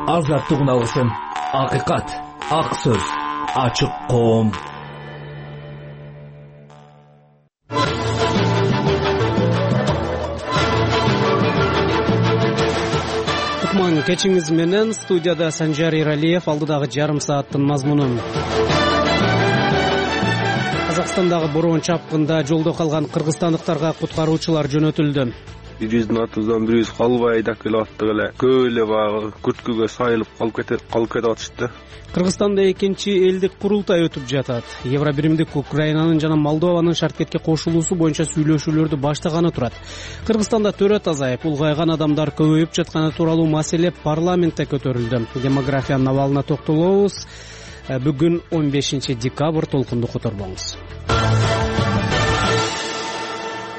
азаттык үналысын, акыйкат, ак сөз, ачык коом. Кутман кечиңиз менен студияда Санжар Иралиев, алдыдагы жарым сааттын мазмунун. Казакстандагы бороон чапкында жолдо калган кыргызстандыктарга куткаруучулар жөнөтүлдү. Биздин атыбыздан бирибиз калбай айдап келип аттык эле көп эле баягы күрткүгө сайылып калып кетип атышты. Кыргызстанда экинчи элдик курултай өтүп жатат. Евробиримдик Украинанын жана Молдованын шарткетке кошулуусу боюнча сүйлөшүүлөрдү баштаганы турат. Кыргызстанда төрөт азайып, улгайган адамдар көбөйүп жатканы тууралуу маселе парламентте көтөрүлдү. Демографиянын абалына токтолобуз. Бүгүн 15 декабрь, толкунду которбоңуз.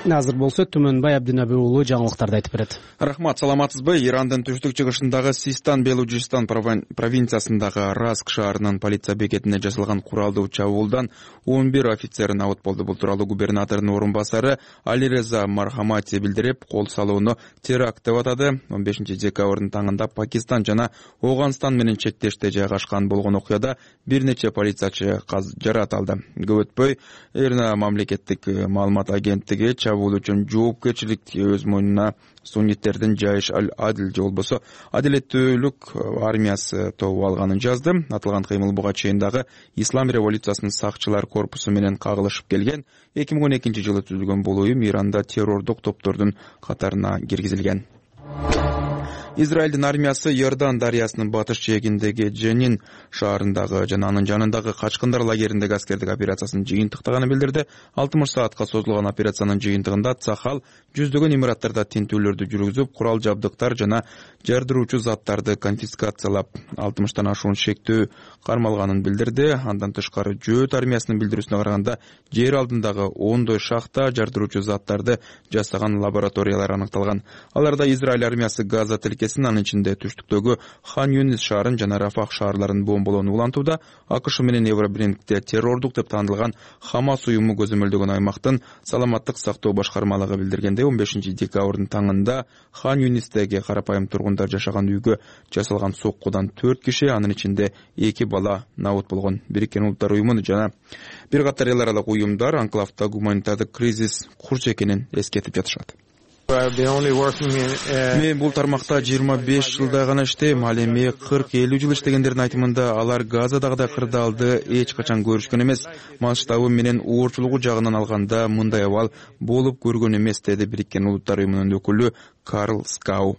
Азыр болсо Түмөнбай Абдинабий уулу жаңылыктарды айтып берет. Рахмат, саламатсызбы? Ирандын түштүк-чыгышындагы Систан Белужистан провинциясындагы Раск шаарынын полиция бекетине жасалган куралдуу чабуулдан 11 офицер абут болду. Бул тууралуу губернатордун орун басары Алиреза Мархамати билдирип, кол салууну теракт деп атады. 15 декабрдын таңында Пакистан жана Ооганстан менен чектеште жайгашкан болгон окуяда бир нече полициячы жаракат алды. Көп өтпөй Ирна мамлекеттик маалымат агенттиги чабуул үчүн жоопкерчиликти өз мойнуна сунниттердин Жайш аль-Адил же болбосо Адилеттүүлүк армиясы тобу алганын жазды. Атылган кыймыл буга чейин дагы Ислам революциясынын сакчылар корпусу менен кагылышып келген 2012 жылы түзүлгөн бул уюм Иранда террордук топтордун катарына киргизилген. Израилдин армиясы Йордан дарыясынын батыш жээгиндеги Дженин шаарындагы жана анын жанындагы качкындар лагериндеги аскердик операциясын жыйынтыктаганын билдирди. 60 саатка созулган операциянын жыйынтыгында Цахал жүздөгөн имараттарда тинтүүлөрдү жүргүзүп, курал жабдыктар жана жардыруучу заттарды конфискациялап, 60тан ашуун шектөө кармалганын билдирди. Андан тышкары Жөөт армиясынын билдирүүсүнө караганда жер алдындагы 10дой шахта жардыруучу заттарды жасаган лабораториялар аныкталган. Аларда Израиль армиясы Газа тилкесин, анын ичинде түштүктөгү Хан Юнис шаарын жана Рафах шаарларын бомболоону улантууда. АКШ менен Евробиримдикте террордук деп таанылган Хамас уюму көзөмөлдөгөн аймактын саламаттык сактоо башкармалыгы билдиргендей, 15 декабрдын таңында Хан Юнистеги карапайым тургундар жашаган үйгө жасалган соккудан 4 киши, анын ичинде 2 бала абут болгон. Бириккен Улуттар уюму жана бир катар эл аралык уюмдар анклавда гуманитардык кризис курч экенин эскертип жатышат. Мен бул тармакта 25 жылдай гана иштейм. Ал эми 40-50 жыл иштегендердин айтымында алар Газадагыдай кырдаалды эч качан көрүшкөн эмес. Масштабы менен уурчулугу жагынан алганда мындай абал болуп көргөн эмес, деди Бириккен Улуттар уюмунун өкүлү Карл Скау.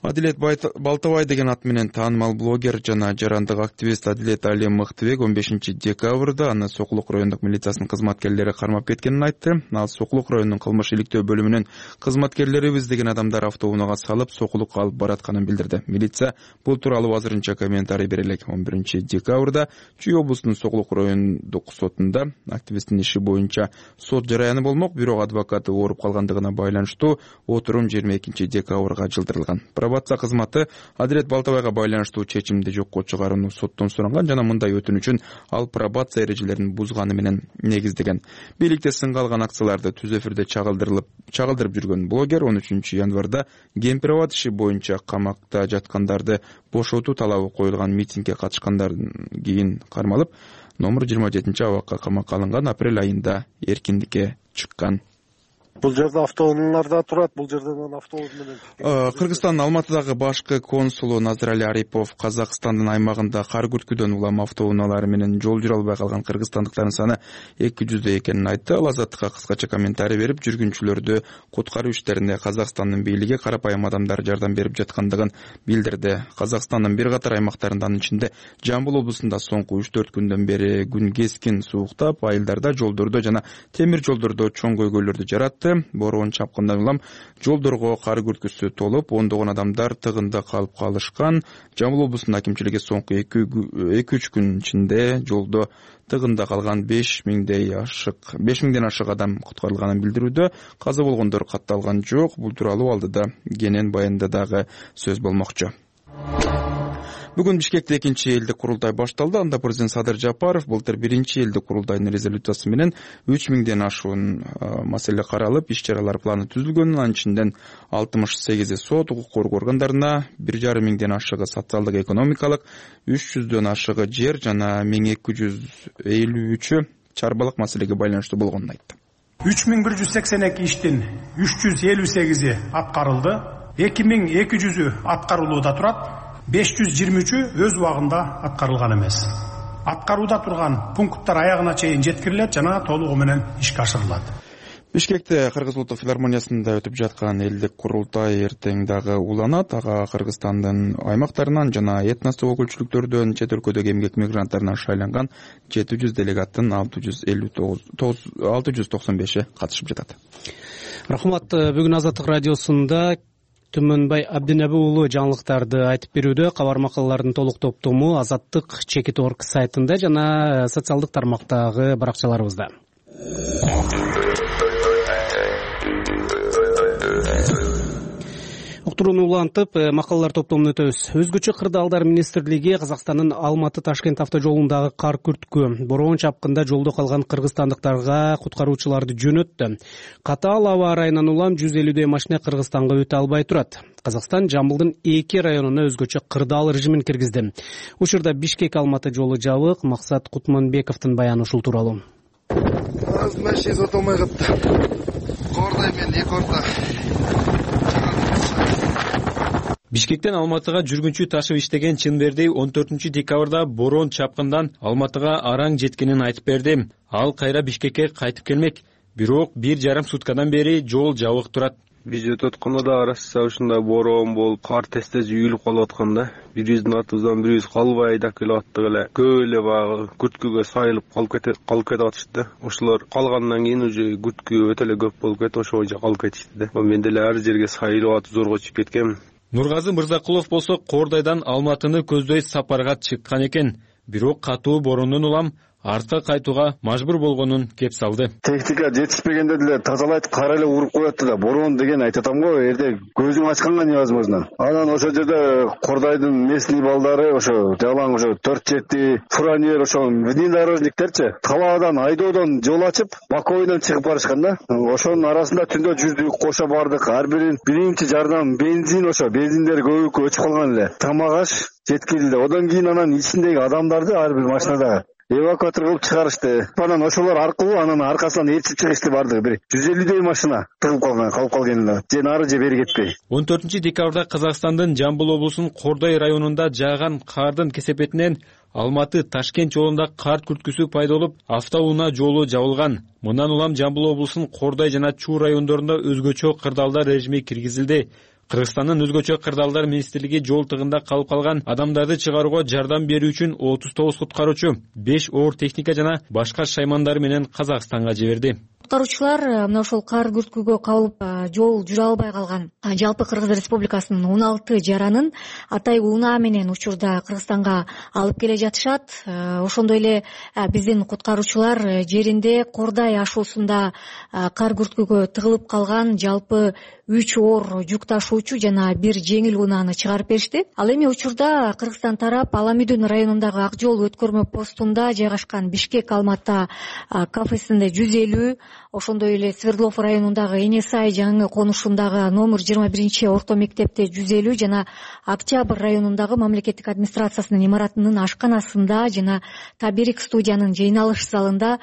Адилет Балтабай деген ат менен таанымал блогер жана жарандык активист Адилет Али Мыктыбек 15 декабрда аны Сокулук райондук милициясынын кызматкерлери кармап кеткенин айтты. Ал Сокулук районунун кылмыш иликтөө бөлүмүнүн кызматкерлерибиз деген адамдар автоунага салып Сокулукка алып баратканын билдирди. Милиция бул тууралуу азырынча комментарий бере элек. 11 декабрда Чүй облусунун Сокулук райондук сотунда активисттин иши боюнча сот жараяны болмок, бирок адвокаты ооруп калгандыгына байланыштуу отурум 22 декабрга жылдырылган. Пробация кызматы Адилет Балтабайга байланыштуу чечимди жокко чыгарууну соттон суранган жана мындай өтүнүчүн ал пробация эрежелерин бузганы менен негиздеген. Бийликте сынга алган акцияларды түз эфирде чагылдырып жүргөн блогер 13 январда Кемпирабад иши боюнча камакта жаткандарды бошотуу талабы коюлган митингге катышкандан кийин кармалып, номер 27 абакка камакка алынган. Апрель айында эркиндикке чыккан. Бул жерде автоунаалар да турат, бул жерден автобус менен. Кыргызстандын Алматыдагы башкы консулу Назирали Арипов Казакстандын аймагында кар күрткүдөн улам автоунаалары менен жол жүрө албай калган кыргызстандыктардын саны 200 экенин айтты. Ал Азаттыкка кыскача комментарий берип, жүргүнчүлөрдү куткаруу иштеринде Казакстандын бийлиги карапайым адамдар жардам берип жаткандыгын билдирди. Казакстандын бир катар аймактарында, анын ичинде Жамбыл облусунда соңку 3-4 күндөн бери күн кескин сууктап, айылдарда жолдордо жана темир жолдордо чоң көйгөйлөрдү жаратты. Бороон чапкындан улам жолдорго кар күрткүсү толуп, ондогон адамдар тыгында калып калышкан. Жамбыл облусунун акимчилиги соңку 2-3 күн ичинде жолдо тыгында калган 5000ден ашык адам куткарылганын билдирүүдө. Каза болгондор катталган жок. Бул тууралуу алдыда кенен баянда дагы сөз болмокчу. Бүгүн Бишкекте экинчи элдик курултай башталды. Анда президент Садыр Жапаров былтыр биринчи элдик курултайдын резолюциясы менен 3000ден ашуун маселе каралып, иш-чаралар планы түзүлгөн. Анын ичинен 68 сот, укук коргоо органдарына, 1,5 миңден ашыгы социалдык экономикалык, 300дөн ашыгы жер жана 1253 чарбалык маселеге байланыштуу болгонун айтты. 3182 иштин 358 аткарылды, 2200 аткарылууда турат, 523 өз убагында аткарылган эмес. Аткарууда турган пункттар аягына чейин жеткирилет жана толугу менен ишке ашырылат. Бишкекте Кыргыз улуттук филармониясында өтүп жаткан элдик курултай эртең дагы уланат. Ага Кыргызстандын аймактарынан жана этностук өкүлчүлүктөрдөн, чет өлкөдөгү эмгек мигранттарынан шайланган 700 делегаттын 695 катышып жатат. Рахмат. Бүгүн Азаттык радиосунда Түмөнбай Абдинеби уулу жаңылыктарды айтып берүүдө. Кабар макалалардын толук топтому Азаттык Чекит.org сайтында жана социалдык тармактагы баракчаларыбызда. Уктурууну улантып, макалалар топтомун өтөбүз. Өзгөчө кырдаалдар министрлиги Казакстандын Алматы-Ташкент автожолундагы кар күрткү, бороон чапкында жолдо калган кыргызстандыктарга куткаруучуларды жөнөттү. Катаал аба ырайынан улам 150 машина Кыргызстанга өтө албай турат. Казакстан Жамбылдын 2 районуна өзгөчө кырдаал режимин киргизди. Учурда Бишкек-Алматы жолу жабык. Максат Кутманбековдун баяны ушул тууралуу. Машина сатылмай калды. Кордай мен 2 орта. Бишкектен Алматыга жүргүнчү ташып иштеген Чынберди 14 декабрда бороон чапкындан Алматыга араң жеткенин айтып берди. Ал кайра Бишкекке кайтып келмек, бирок 1,5 суткадан бери жол жабык турат. Биз өтүп атканда да арасы ушундай бороон болуп, кар тез үйүлүп калып атканда, бирибиздин артыбыздан бирибиз калбай айдап келип аттык эле. Көп эле баягы күрткүгө сайылып калып кетип атышты. Ошолор калгандан кийин уже күрткү өтө эле көп болуп кетип, ошо боюнча калып кетишти да. Мен деле ар жерге сайылып атып зорго чыгып кеткем. Нургазы Мырзакулов болсо Кордайдан Алматыны көздөй сапарга чыккан экен. Бирок катуу бороондон улам артка кайтууга мажбур болгонун кеп салды. Техника жетишпегенде деле тазалайт, кара эле уруп коет да. Бороон деген айтып атам го, эрде көзүң ачканга невозможно. Анан ошол жерде Кордайдын местный балдары ошо жалаң ошо 4-7 фуранер ошо внедорожниктерчи талаадан айдоодон жол ачып, Баковойдон чыгып барышкан да. Ошонун арасында түндө жүрдүк, кошо бардык. Ар бирин биринчи жардам бензин ошо бензиндер көбүк өчүп калган эле. Тамак-аш жеткирилди. Одан кийин анан ичиндеги адамдарды ар бир машинада эвакуатор кылып чыгарышты. Анан ошолор аркылуу анан аркасынан ээрчип чыгышты бардыгы. Бир 150 машина тыгылып калып калган эле. Же нары же бери кетпей. 14 декабрда Казакстандын Жамбыл облусунун Кордай районунда жааган кардын кесепетинен Алматы-Ташкент жолунда кар күрткүсү пайда болуп, автоунаа жолу жабылган. Мындан улам Жамбыл облусунун Кордай жана Чуу райондорунда өзгөчө кырдаалдар режими киргизилди. Кыргызстандын өзгөчө кырдаалдар министрлиги жол тыгында калып калган адамдарды чыгарууга жардам берүү үчүн 39 куткаруучу, 5 оор техника жана башка шаймандары менен Казакстанга жиберди. Куткаруучулар мына ошол кар күрткүгө кабылып жол жүрө албай калган жалпы Кыргыз Республикасынын 16 жаранын атай унаа менен учурда Кыргызстанга алып келе жатышат. Ошондой эле биздин куткаруучулар жеринде Кордай ашуусунда кар күрткүгө тыгылып калган жалпы 3 оор жүк ташуучу жана 1 жеңил унааны чыгарып беришти. Ал эми учурда Кыргызстан тарап Аламүдүн районундагы Ак жол өткөрмө постунда жайгашкан Бишкек-Алматы кафесинде 150, ошондой эле Свердлов районундагы Энесай жаңы конушундагы номер 21 орто мектепте 150 жана Октябрь районундагы мамлекеттик администрациясынын имаратынын ашканасында жана Таберик студиянын жыйналыш залында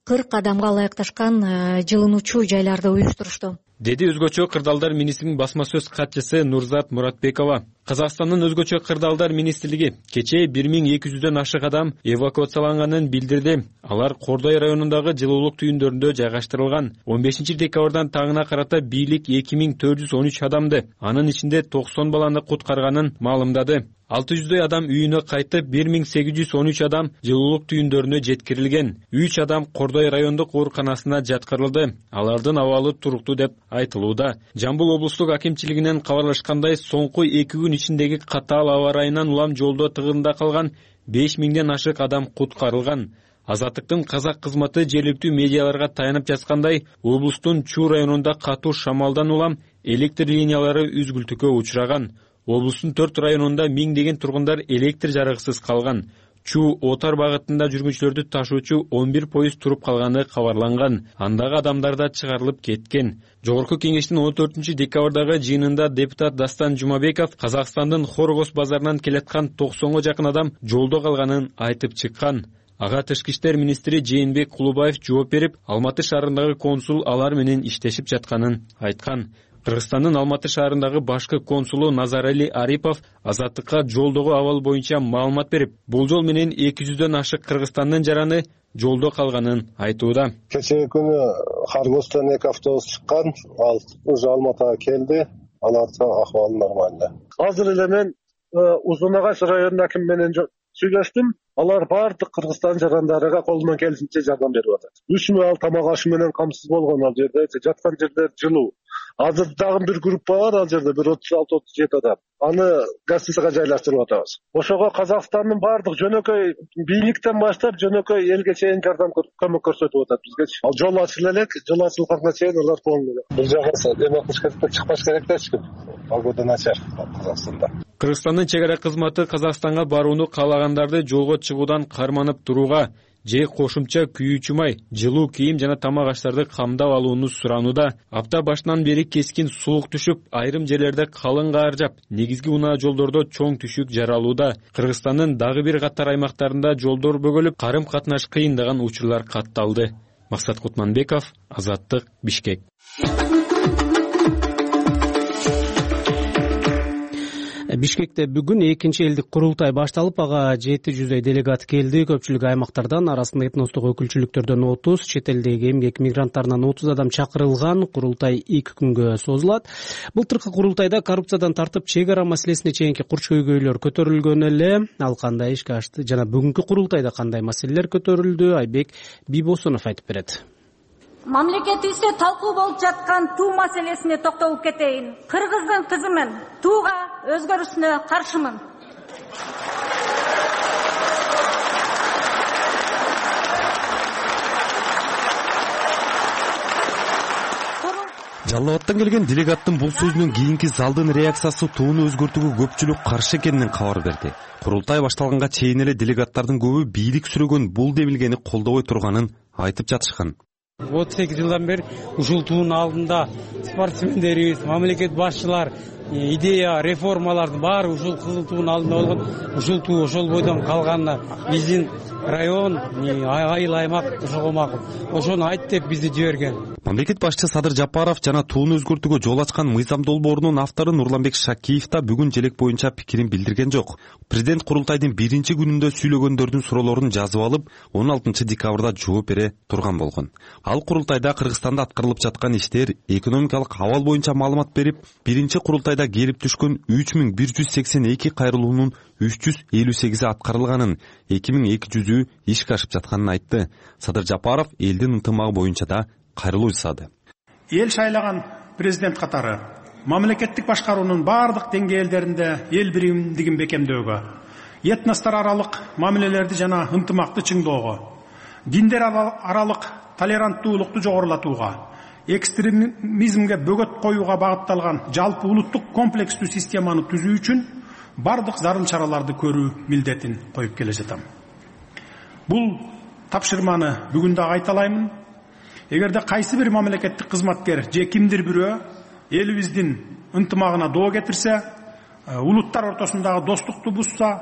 40 адамга ылайыкташкан жылынуучу жайларды уюштурушту, деди өзгөчө кырдаалдар министринин басма сөз катчысы Нурзат Муратбекова. Казакстандын өзгөчө кырдаалдар министрлиги кечээ 1200дөн ашык адам эвакуацияланганын билдирди. Алар Кордай районундагы жылуулук түйүндөрүндө жайгаштырылган. 15 декабрдан таңына карата бийлик 2413 адамды, анын ичинде 90 баланы куткарганын маалымдады. 600 адам үйүнө кайтып, 1813 адам жылуулук түйүндөрүнө жеткирилген. 3 адам Кордай райондук ооруканасына жаткырылды. Алардын абалы туруктуу деп айтылууда. Жамбыл облустук акимчилигинен кабарлашкандай, соңку 2 күн ичиндеги катаал аба ырайынан улам жолдо тыгында калган 5000ден ашык адам куткарылган. Азаттыктын казак кызматы жергиликтүү медиаларга таянып жаткандай, облустун Чуу районунда катуу шамалдан улам электр линиялары үзгүлтүккө учураган. облустун 4 районунда миңдеген тургундар электр жарыгысыз калган. Чу-Отар багытында жүргүнчүлөрдү ташуучу 11 поезд туруп калганы кабарланган. Андагы адамдар да чыгарылып кеткен. Жогорку кеңештин 14 декабрдагы жыйынында депутат Дастан Жумабеков Казакстандын Хоргос базарынан келаткан 90га жакын адам жолдо калганын айтып чыккан. Ага тышкы иштер министри Жээнбек Кулубаев жооп берип, Алматы шаарындагы консул алар менен иштешип жатканын айткан. Кыргызстандын Алматы шаарындагы башкы консулу Назарали Арипов Азаттыкка жолдогу абал боюнча маалымат берип, болжол менен 200дөн ашык Кыргызстандын жараны жолдо калганын айтууда. Кечээ күнү Хоргостон 2 автобус чыккан, ал уже Алматыга келди, алардын акыбалы нормалда. Азыр эле мен Узун Агач районунун акими менен сүйлөштүм. Алар бардык Кыргызстан жарандарыга колунан келишинче жардам берип атат. 3 тамак ашы менен камсыз болгон ал жерде, жаткан жерлер жылуу. Азыр дагы бир группа бар ал жерде, бир 36-37 адам. Аны гостиницага жайлаштырып атабыз. Ошого Казакстандын бардык жөнөкөй бийликтен баштап жөнөкөй элге чейин жардам көмөк көрсөтүп атат бизге. Ал жол ачыла элек, жол ачылганга чейин алар полный. Бул жака эме кылыш керек, чыкпаш керек да эч ким. Погода начар Казакстанда. Кыргызстандын чек ара кызматы Казакстанга барууну каалагандарды жолго чыгуудан карманып турууга же кошумча күйүүчү май, жылуу кийим жана тамак аштарды камдап алууну суранууда. Апта башынан бери кескин сулук түшүп, айрым жерлерде калың каар жаап, негизги унаа жолдордо чоң түшүк жаралууда. Кыргызстандын дагы бир катар аймактарында жолдор бөгөлүп, карым катнаш кыйындаган учурлар катталды. Максат Кутманбеков, Азаттык, Бишкек. Бишкекте бүгүн экинчи элдик курултай башталып, ага 700 делегат келди. Көпчүлүк аймактардан, арасында этностук өкүлчүлүктөрдөн 30, чет элдеги эмгек мигранттарынан 30 адам чакырылган. Курултай 2 күнгө созулат. Былтыркы курултайда коррупциядан тартып чек ара маселесине чейинки курч көйгөйлөр көтөрүлгөн эле. Ал кандай ишке ашты жана бүгүнкү курултайда кандай маселелер көтөрүлдү, Айбек Бийбосунов айтып берет. Мамлекетибизде талкуу болуп жаткан туу маселесине токтолуп кетейин. Кыргыздын кызымын. Тууга өзгөрүшүнө каршымын. Жалал Абадтан келген делегаттын бул сөзүнөн кийинки залдын реакциясы тууну өзгөртүүгө көпчүлүк каршы экенинен кабар берди. Курултай башталганга чейин эле делегаттардын көбү бийлик сүрөгөн бул демилгени колдобой турганын айтып жатышкан. 38 жылдан бери ушул туунун алдында спортсмендерибиз, мамлекет башчылар, идея, реформалардын баары ушул кызыл туунун алдында болгон. Ушул туу ошол бойдон калганына биздин район, айыл аймак ошого макул. Ошону айт деп бизди жиберген. Мамлекет башчысы Садыр Жапаров жана тууну өзгөртүүгө жол ачкан мыйзам долбоорунун автору Нурланбек Шакиев да бүгүн желек боюнча пикирин билдирген жок. Президент курултайдын биринчи күнүндө сүйлөгөндөрдүн суроолорун жазып алып, 16 декабрда жооп бере турган болгон. Ал курултайда Кыргызстанда аткарылып жаткан иштер, экономикалык абал боюнча маалымат берип, биринчи курултайда келип түшкөн 3182 кайрылуунун 358 аткарылганын, 2200 ишке ашып жатканын айтты. Садыр Жапаров элдин ынтымагы боюнча да кайрылуу жасады. Эл шайлаган президент катары мамлекеттик башкаруунун бардык деңгээлдеринде эл биримдигин бекемдөөгө, этностор аралык мамилелерди жана ынтымакты чыңдоого, диндер аралык толеранттуулукту жогорулатууга, экстремизмге бөгөт коюуга багытталган жалпы улуттук комплекстүү системаны түзүү үчүн бардык зарыл чараларды көрүү милдетин коюп келе жатам. Бул тапшырманы бүгүн да айталаймын. Эгерде кайсы бир мамлекеттик кызматкер же кимдир бирөө элибиздин ынтымагына доо кетирсе, улуттар ортосундагы достукту бузса,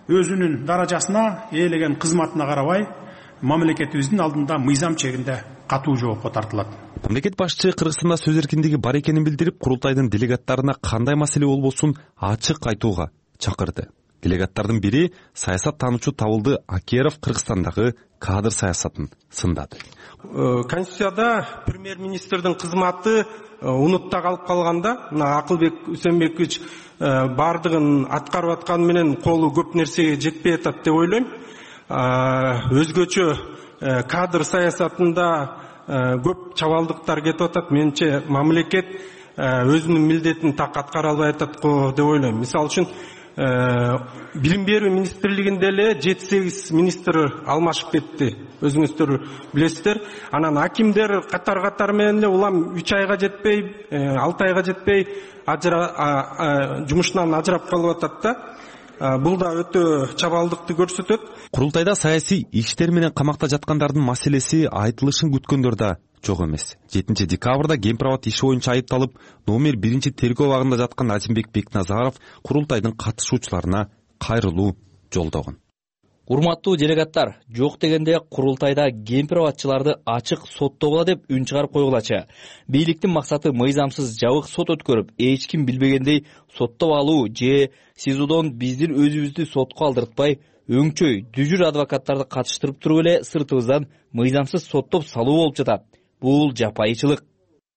өзүнүн даражасына, ээлеген кызматына карабай, мамлекетибиздин алдында мыйзам чегинде катуу жоопко тартылат. Мамлекет башчы Кыргызстанда сөз эркиндиги бар экенин билдирип, курултайдын делегаттарына кандай маселе болбосун ачык айтууга чакырды. Делегаттардын бири саясат таануучу Табылды Акеров Кыргызстандагы кадр саясатын сындады. Конституцияда премьер-министрдин кызматы унутта калып калганда, Акылбек Үсенбекович бардыгын аткарып атканы менен колу көп нерсеге жетпей атат деп ойлойм. Өзгөчө кадр саясатында көп чабалдыктар кетип атат. Менимче мамлекет өзүнүн милдетин так аткара албай атат го деп ойлойм. Мисалы үчүн билим берүү министрлигинде эле 7-8 министр алмашып кетти, өзүңүздөр билесиздер. Анан акимдер катар менен эле улам 3 айга жетпей, 6 айга жетпей жумушунан ажырап калып атат да. Бул да өтө чабалдыкты көрсөтөт. Курултайда саясий иштер менен камакта жаткандардын маселеси айтылышын күткөндөр да жок эмес. 7 декабрда Кемпирабад иши боюнча айыпталып, номер 1 тергөө абагында жаткан Азимбек Бекназаров курултайдын катышуучуларына кайрылуу жолдогон. Урматтуу делегаттар, жок дегенде курултайда кемпирабадчыларды ачык соттогула деп үн чыгарып койгулачы. Бийликтин максаты мыйзамсыз жабык сот өткөрүп, эч ким билбегендей соттоп алуу же СИЗОдон биздин өзүбүздү сотко алдыртпай, өңчөй, дүжүр адвокаттарды катыштырып туруп эле сыртыбыздан мыйзамсыз соттоп салуу болуп жатат. Бул жапайычылык.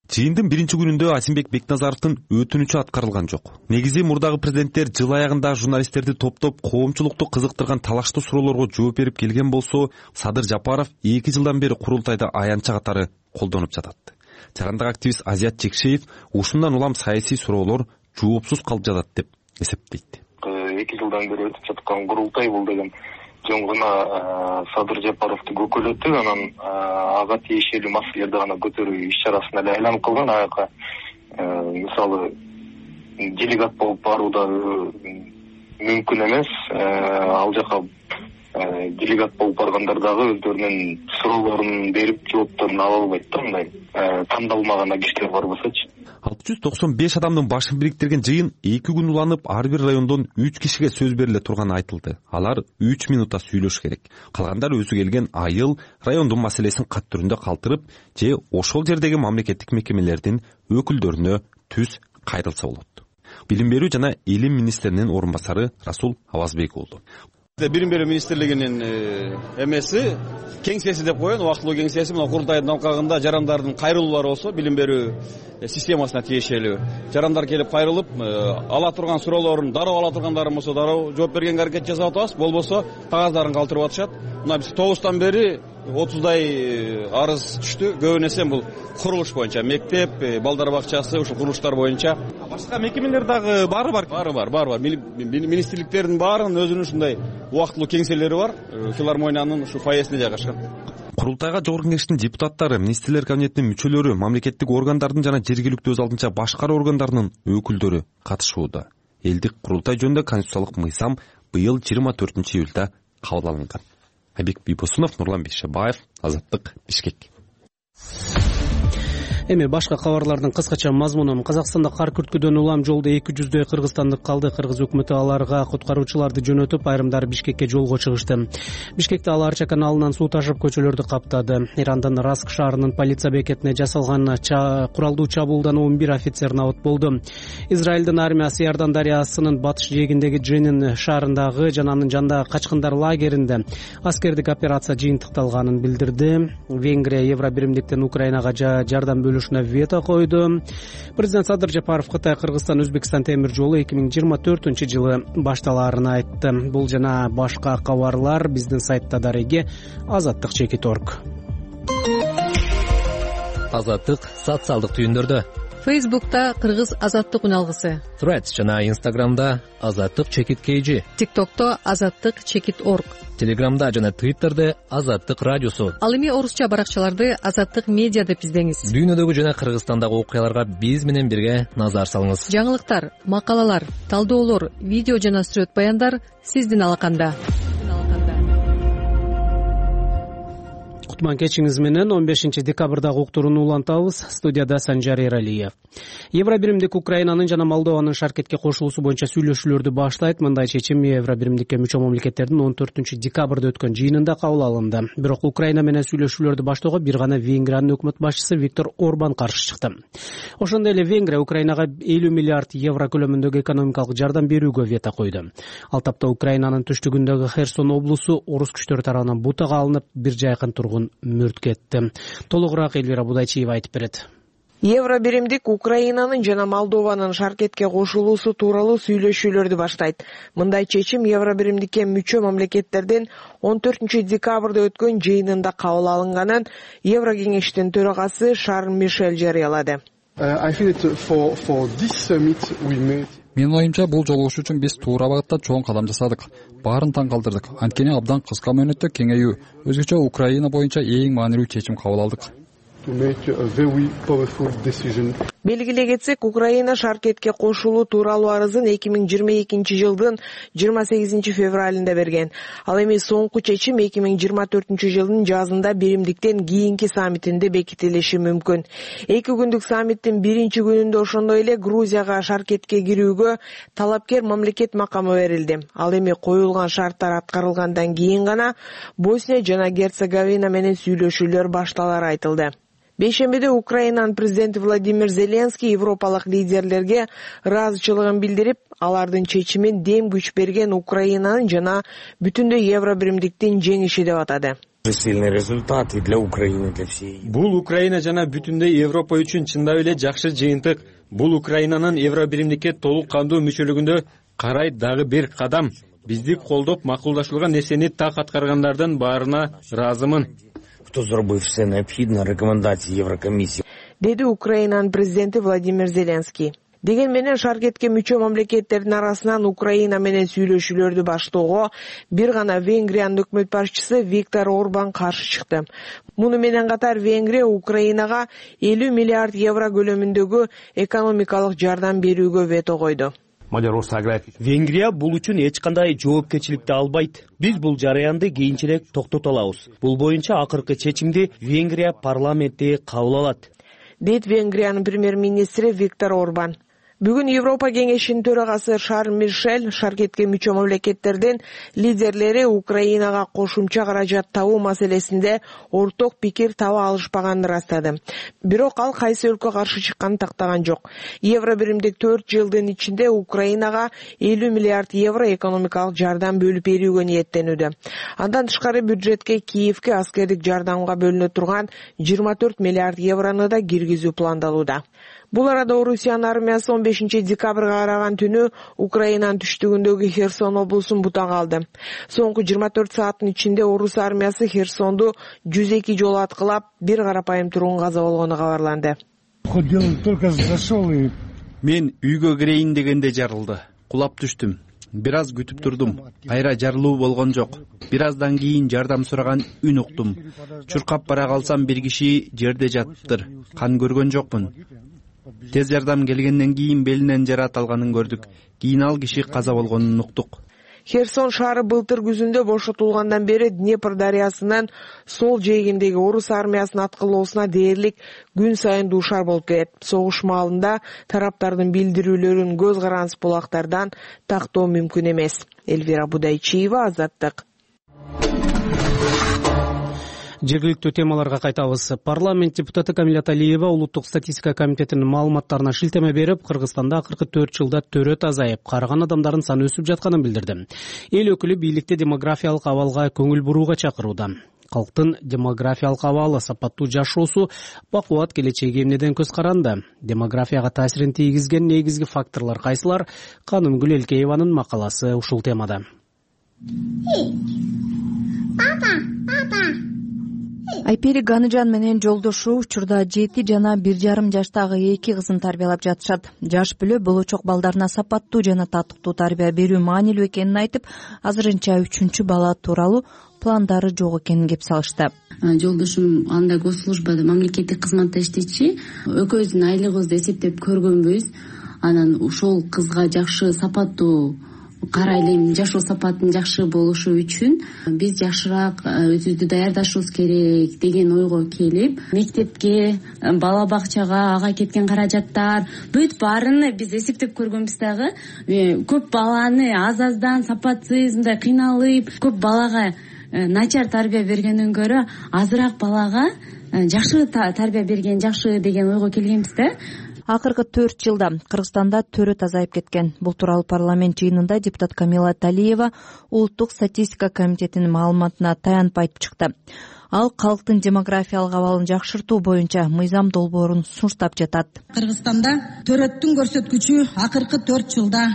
Жыйындын 1-күнүндө Азимбек Бекназаровдун өтүнүчү аткарылган жок. Негизи мурдагы президенттер жыл аягында журналисттерди топтоп коомчулукту кызыктырган талаштуу суроолорго жооп берип келген болсо, Садыр Жапаров 2 жылдан бери курултайда аянтча катары колдонуп жатат. Жарандык активист Азият Чекшеев ушундан улам саясий суроолор жоопсуз калып жатат деп эсептейт. 2 жылдан бери өтүп жаткан курултай бул деген жөн гана Садыр Жапаровду көкөлөтүп, анан ага тиешелүү маселелерди гана көтөрүү иш-чарасын эле айланып калган. Аяка мисалы делегат болуп баруу да мүмкүн эмес. Ал жака делегат болуп баргандар дагы өздөрүнүн суроолорун берип, жоопторун ала албайт да, мындай тандалмаган кишилер бар болсочу. 695 адамдын башын бириктирген жыйын 2 күн уланып, ар бир райондон 3 кишиге сөз бериле турганы айтылды. Алар 3 минутта сүйлөш керек. Калгандар өзү келген айыл райондун маселесин кат түрүндө калтырып, же ошол жердеги мамлекеттик мекемелердин өкүлдөрүнө түз кайрылса болот. Билим берүү жана илим министринин орун басары Расул Абазбек болду. Билим берүү министрлигинин эмеси кеңсеси деп коён, убактылуу кеңсеси мына курултайдын алкагында жарандардын кайрылуулары болсо, билим берүү системасына тиешелүү. Жарандар келип кайрылып, ала турган суроолорун дароо ала тургандарын болсо дароо жооп бергенге аракет жасап атабыз, болбосо кагаздарын калтырып атышат. Мына биз 9-тан бери 30дай арыз түштү. Көбүн эсе бул курулуш боюнча, мектеп, балдар бакчасы, ушул курулуштар боюнча. Башка мекемелер дагы бары бар. Бар. Министрликтердин баарынын өзүнүн ушундай убактылуу кеңселери бар. Филармониянын ушу фойесине жайгашкан. Курултайга Жогорку Кеңештин депутаттары, министрлер кабинетинин мүчөлөрү, мамлекеттик органдардын жана жергиликтүү өз алдынча башкаруу органдарынын өкүлдөрү катышууда. Элдик курултай жөнүндө конституциялык мыйзам быйыл 24-июлда кабыл алынган. Айбек Бибосунов, Нурлан Бейшебаев, Азаттык, Бишкек. Эми башка кабарлардын кыскача мазмуну. Казакстанда кар күрткүдөн улам жолдо 200дөй кыргызстандык калды. Кыргыз өкмөтү аларга куткаруучуларды жөнөтүп, айрымдары Бишкекке жолго чыгышты. Бишкекте ал Арча каналынан суу ташып көчөлөрдү каптады. Ирандын Раск шаарынын полиция бекетине жасалган куралдуу чабуулдан 11 офицер набыт болду. Израилдин армиясы Иордан дарыясынын батыш жээгиндеги Дженин шаарындагы жана анын жанындагы качкындар лагеринде аскердик операция жыйынтыкталганын билдирди. Венгрия Евробиримдиктен Украинага жардам вето койду. Президент Садыр Жапаров Кытай, Кыргызстан, Өзбекстан темир жолу 2024-жылы башталаарын айтты. Бул жана башка кабарлар биздин сайтта дареги azattik.org. Азаттык социалдык түйүндөрдө. Фейсбукта Кыргыз Азаттык үналгысы. Threads жана Instagramда azattik.kg. TikTokто azattik.org. Телеграмда жана Twitterде Азаттык радиосу. Ал эми орусча баракчаларды Азаттык медиа деп издеңиз. Дүйнөдөгү жана Кыргызстандагы окуяларга биз менен бирге назар салыңыз. Жаңылыктар, макалалар, талдоолор, видео жана сүрөт баяндар сиздин алаканда. Кутман кечиңиз менен 15 декабрдагы уктурууну улантабыз. Студияда Санжар Эралиев. Евробиримдик Украинанын жана Молдованын шаркетке кошулуусу боюнча сүйлөшүүлөрдү баштайт. Мындай чечим Евробиримдикке мүчө мамлекеттердин 14 декабрда өткөн жыйынында кабыл алынды. Бирок Украина менен сүйлөшүүлөрдү баштоого бир гана Венгриянын өкмөт башчысы Виктор Орбан каршы чыкты. Ошондой эле Венгрия Украинага 50 миллиард евро көлөмүндөгү экономикалык жардам берүүгө вето койду. Ал тапта Украинанын түштүгүндөгү Херсон облусу орус күчтөрү тарабынан бутага алынып, бир жайкын тургун мөрт кетти. Толугураак Элвира Будайчиева айтып берет. Евробиримдик Украинанын жана Молдованын шаркетке кошулуусу тууралуу сүйлөшүүлөрдү баштайт. Мындай чечим Евробиримдикке мүчө мамлекеттердин 14 декабрда өткөн жыйынында кабыл алынганын Еврокеңештин төрагасы Шарль Мишель жарыялады. Менин оюмча, бул жолугушуу үчүн биз туура багытта чоң кадам жасадык. Баарын таң калтырдык. Анткени абдан кыска мөөнөттө кеңейүү, өзгөчө Украина боюнча эң маанилүү чечим кабыл алдык. Белгилей кетсек, Украина шаркетке кошулуу тууралуу арызын 2022-жылдын 28 февралында берген. Ал эми соңку чечим 2024-жылдын жазында биримдиктен кийинки саммитинде бекитилиши мүмкүн. 2 күндүк саммиттин биринчи күнүндө ошондой эле Грузияга шаркетке кирүүгө талапкер мамлекет макамы берилди. Ал эми коюлган шарттар аткарылгандан кийин гана Босния жана Герцеговина менен сүйлөшүүлөр башталары айтылды. Бейшембиде Украинанын президенти Владимир Зеленский европалык лидерлерге ыраазычылыгын билдирип, алардын чечимин дем күч берген Украинанын жана бүтүндөй Евробиримдиктин жеңиши деп атады. Бул Украина жана бүтүндөй Европа үчүн чындап эле жакшы жыйынтык. Бул Украинанын Евробиримдикке толук кандуу мүчөлүгүндө карай дагы бир кадам. Бизди колдоп макулдашылган нерсени так аткаргандардын баарына ыраазымын. Деди Украинанын президенти Владимир Зеленский. Деген менен шаркетке мүчө мамлекеттердин арасынан Украина менен сүйлөшүүлөрдү баштоого бир гана Венгриянын өкмөт башчысы Виктор Орбан каршы чыкты. Муну менен катар Венгрия Украинага 50 миллиард евро көлөмүндөгү экономикалык жардам берүүгө вето койду. Венгрия бул үчүн эч кандай жоопкерчиликти албайт. Биз бул жараянды кийинчерээк токтото алабыз. Бул боюнча акыркы чечимди Венгрия парламенти кабыл алат, дейт Венгриянын премьер-министри Виктор Орбан. Бүгүн Европа кеңешинин төрагасы Шарль Мишель шаркетке мүчө мамлекеттердин лидерлери Украинага кошумча каражат табуу маселесинде орток пикир таба алышпаганын ырастады. Бирок ал кайсы өлкө каршы чыкканын тактаган жок. Евробиримдик 4 жылдын ичинде Украинага 50 миллиард евро экономикалык жардам бөлүп берүүгө ниеттенүүдө. Андан тышкары бюджетке Киевке аскердик жардамга бөлүнө турган 24 миллиард еврону да киргизүү пландалууда. Бул арада Орусиянын армиясы 15 декабрга караган түнү Украинанын түштүгүндөгү Херсон облусун бутага алды. Соңку 24 сааттын ичинде Орус армиясы Херсонду 102 жолу аткылап, бир карапайым тургун каза болгону кабарланды. Мен үйгө кирейин дегенде жарылды. Кулап түштүм. Бир аз күтүп турдум. Кайра жарылуу болгон жок. Бир аздан кийин жардам сураган үн уктум. Чуркап бара калсам бир киши жерде жатыптыр. Кан көргөн жокмун. Тез жардам келгенден кийин белинен жараат алганын көрдүк. Кийин ал киши каза болгонун уктук. Херсон шаары былтыр күзүндө бошотулгандан бери Днепр дарыясынан сол жээгиндеги Орус армиясынын аткылоосуна дээрлик күн сайын дуушар болуп келет. Согуш маалында тараптардын билдирүүлөрүн көз карандысыз булактардан тактоо мүмкүн эмес. Эльвира Будайчиева, Азаттык. Жергиликтүү темаларга кайтабыз. Парламент депутаты Камилат Алиева улуттук статистика комитетинин маалыматтарына шилтеме берип, Кыргызстанда акыркы 4 жылда төрөт азайып, карыган адамдардын саны өсүп жатканын билдирди. Эл өкүлү бийликти демографиялык абалга көңүл бурууга чакырууда. Калктын демографиялык абалы, сапаттуу жашоосу, бакубат келечеги эмнеден көз каранды? Демографияга таасирин тийгизген негизги факторлор кайсылар? Канымгүл Элкееванын макаласы ушул темада. Айпери Ганыжан менен жолдошу учурда 7 жана 1,5 жаштагы 2 кызын тарбиялап жатышат. Жаш бүлө болочок балдарына сапаттуу жана татыктуу тарбия берүү маанилүү экенин айтып, азырынча 3-чү бала тууралуу пландары жок экенин кеп салышты. Жолдошум анда госслужбада мамлекеттик кызматта иштечи. Экөөбүздүн айлыгыбызды эсептеп көргөнбүз. Анан ошол кызга жакшы сапаттуу карайлайм, жашоо сапаттын жакшы болушу үчүн биз жакшыраак өзүбүздү даярдашыбыз керек деген ойго келип, мектепке, бала бакчага, ага кеткен каражаттар, бүт баарын биз эсептеп көргөнбүз дагы. Көп баланы аз-аздан сапатсыз, мындай кыйналып, көп балага начар тарбия бергенден көрө азыраак балага жакшы тарбия берген жакшы деген ойго келгенбиз да. Акыркы 4 жылда Кыргызстанда төрөт азайып кеткен. Бул тууралуу парламент жыйынында депутат Камилат Алиева улуттук статистика комитетинин маалыматына таянып айтып чыкты. Ал калктын демографиялык абалын жакшыртуу боюнча мыйзам долбоорун сунуштап жатат. Кыргызстанда төрөттүн көрсөткүчү акыркы 4 жылда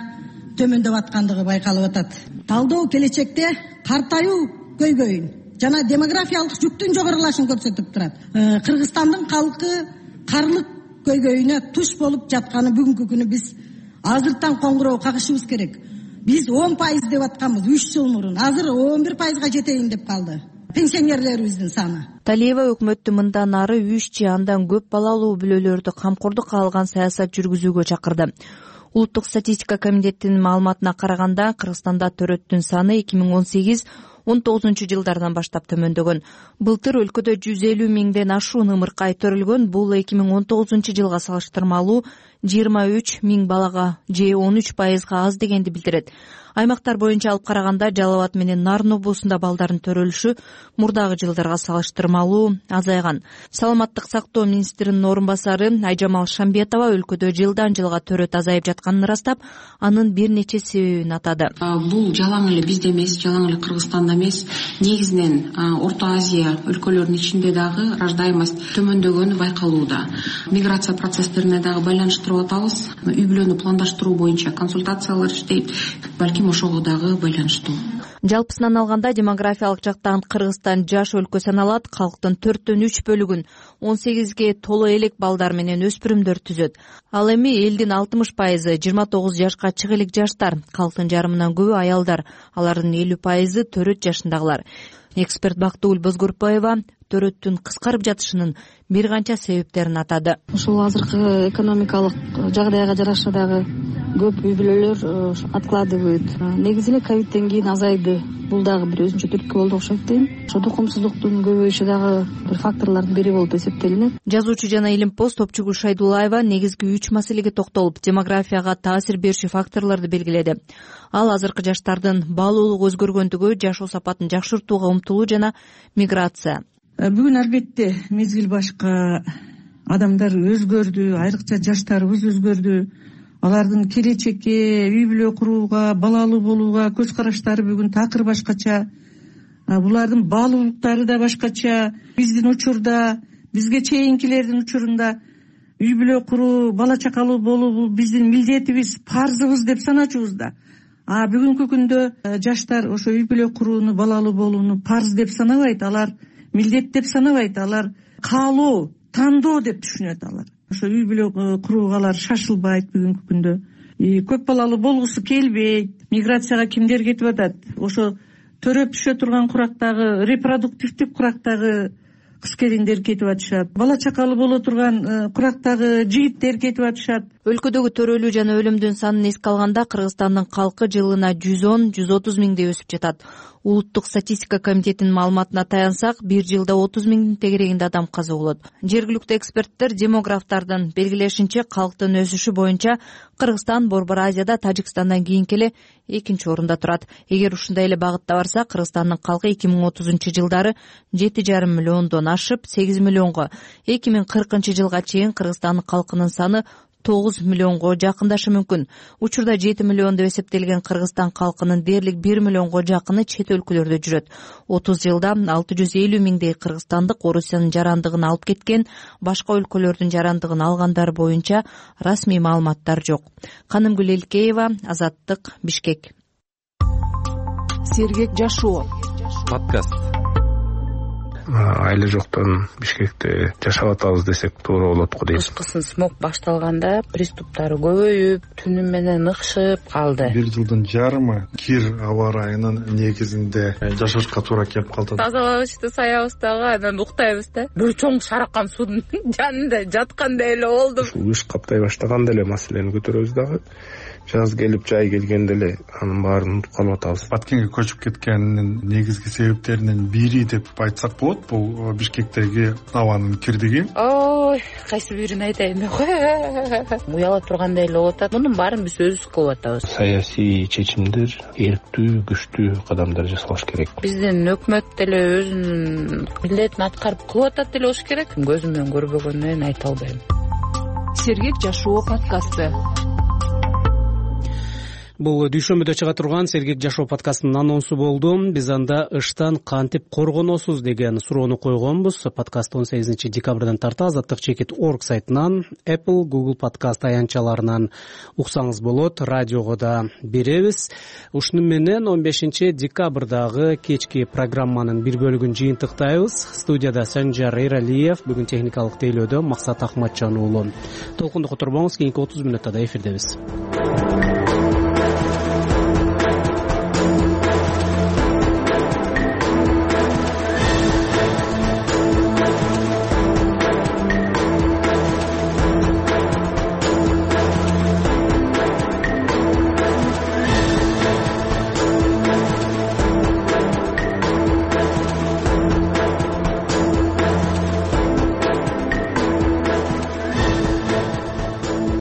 төмөндөп аткандыгы байкалып атат. Талдоо келечекте картаюу көйгөйүн жана демографиялык жүктүн жогорулашын көрсөтүп турат. Кыргызстандын калкы карлык көйгөйүнө туш болуп жатканы бүгүнкү күнү биз азыртан коңгуроо кагышыбыз керек. Биз 10% деп атканбыз 3 жыл мурун. Азыр 11%га жетейин деп калды пенсионерлерибиздин саны. Талиева өкмөттү мындан ары 3 же андан көп балалуу бүлөлөрдү камкордукка алган саясат жүргүзүүгө чакырды. Улуттук статистика комитетинин маалыматына караганда Кыргызстанда төрөттүн саны 2018-19 жылдардан баштап төмөндөгөн. Былтыр өлкөдө 150 миңден ашуун ымыркай төрөлгөн. Бул 2019 жылга салыштырмалуу 23 миң балага же 13%га аз дегенди билдирет. Аймактар боюнча алып караганда Жалал Абад менен Нарын облусунда балдардын төрөлүшү мурдагы жылдарга салыштырмалуу азайган. Саламаттык сактоо министринин орун басары Айжамал Шамбетова өлкөдө жылдан жылга төрөт азайып жатканын ырастап, анын бир нече себебин атады. Бул жалаң эле бизде эмес, жалаң эле Кыргызстанда эмес, негизинен Орто Азия өлкөлөрүнүн ичинде дагы рождаемость төмөндөгөнү байкалууда. Миграция процесстерине дагы байланыштырып атабыз. Үй бүлөнү пландаштыруу боюнча консультациялар иштейт. Балким ошого дагы байланыштуу. Жалпысынан алганда демографиялык жактан Кыргызстан жаш өлкө саналат. Калктын 4/3 бөлүгүн 18ге толо элек балдар менен өспүрүмдөр түзөт. Ал эми элдин 60% 29 жашка чыга элек жаштар, калктын жарымынан көбү аялдар, алардын 50% төрөт жашындагылар. Эксперт Бактыгүл Бозгорпаева төрөттүн кыскарып жатышынын бир канча себептерин атады. Ушул азыркы экономикалык жагдайга жараша дагы көп үй бүлөлөр откладывают. Негизинен ковидтен кийин азайды. Бул дагы бир өзүнчө түрткү болду окшойт дейм. Ошо тукумсуздуктун көбөйүшү дагы бир факторлордун бири болуп эсептелинет. Жазуучу жана илимпоз Топчугул Шайдуллаева негизги 3 маселеге токтолуп, демографияга таасир берүүчү факторлорду белгиледи. Ал азыркы жаштардын баалуулугу өзгөргөндүгү, жашоо сапатын жакшыртууга умтулуу жана миграция. Бүгүн албетте мезгил башка, адамдар өзгөрдү, айрыкча жаштарыбыз өзгөрдү. Алардын келечекке, үй бүлө курууга, балалуу болууга көз караштары бүгүн такыр башкача. Булардын баалуулуктары да башкача. Биздин учурда, бизге чейинкилердин учурунда үй бүлө куруу, бала чакалуу болуу бул биздин милдетибиз, парзыбыз деп саначубуз да. Бүгүнкү күндө жаштар ошо үй бүлө курууну, балалуу болууну парз деп санабайт, алар милдет деп санабайт, алар каалоо, тандоо деп түшүнөт алар. Ошо үй бүлө курууга алар шашылбайт бүгүнкү күндө. Көп балалуу болгусу келбейт. Миграцияга кимдер кетип атат? Ошо төрөп түшө турган курактагы, репродуктивдик курактагы кыз-келиндер кетип атышат. Бала чакалуу боло турган курактагы жигиттер кетип атышат. Өлкөдөгү төрөлүү жана өлүмдүн санын эске алганда Кыргызстандын калкы жылына 110-130 миңдей өсүп жатат. Улуттук статистика комитетинин маалыматына таянсак, бир жылда 30 миңдин тегерегинде адам каза болот. Жергиликтүү эксперттер демографтардын белгилешинче калктын өсүшү боюнча Кыргызстан Борбор Азияда Тажикстандан кийинки эле 2-нчи орунда турат. Эгер ушундай эле багытта барса, Кыргызстандын калкы 2030 жылдары 7,5 миллиондон ашып 8 миллионго, 2040 жылга чейин Кыргызстандын калкынын саны 9 миллионго жакындашы мүмкүн. Учурда 7 миллион деп эсептелген Кыргызстан калкынын дээрлик 1 миллионго жакыны чет өлкөлөрдө жүрөт. 30 жылда 650 миңдей кыргызстандык Орусиянын жарандыгын алып кеткен, башка өлкөлөрдүн жарандыгын алгандар боюнча расмий маалыматтар жок. Канымгүл Элкеева, Азаттык, Бишкек. Сергек жашоо подкаст. Айла жоктон Бишкекте жашап атабыз десек туура болот го дейм. Кышкысын смог башталганда приступтары көбөйүп, түнү менен ыкшып калды. Бир жылдын жарымы кир аба ырайынын негизинде жашашка туура келип калды. Тазалабызды саябыз дагы, анан уктайбыз да. Бир чоң шаракан суунун жанында жаткандай эле болдум. Кыш каптай баштаганда эле маселени көтөрөбүз дагы. Жаз келип жай келгенде эле анын баарын унутуп калып атабыз. Баткенге көчүп кеткенинин негизги себептеринин бири деп айтсак болот, бул Бишкектеги абанын кирдиги. Ой, кайсы бирин айтайын деп уяла тургандай эле болуп атат. Мунун баарын биз өзүбүз кылып атабыз. Саясий чечимдер, эрктүү, күчтүү кадамдар жасалыш керек. Биздин өкмөт деле өзүнүн милдетин аткарып кылып атат деле болуш керек. Көзүм менен көрбөгөндөн айта албайм. Сергек жашоо подкасты. Бул дүйшөмбүдө чыга турган Сергек жашоо подкастынын анонсу болду. Биз анда ыштан кантип коргоносуз деген суроону койгонбуз. Подкаст 18 декабрдан тарта azatlyk.org сайтынан, Apple, Google подкаст аянтчаларынан уксаңыз болот. Радиого да беребиз. Ушуну менен 15 декабрдагы кечки программанын бир бөлүгүн жыйынтыктайбыз. Студияда Санжар Эралиев, бүгүн техникалык тейлөөдө Максат Ахматжан уулу. Толкунду которбоңуз, кийинки 30 мүнөттө эфирдебиз.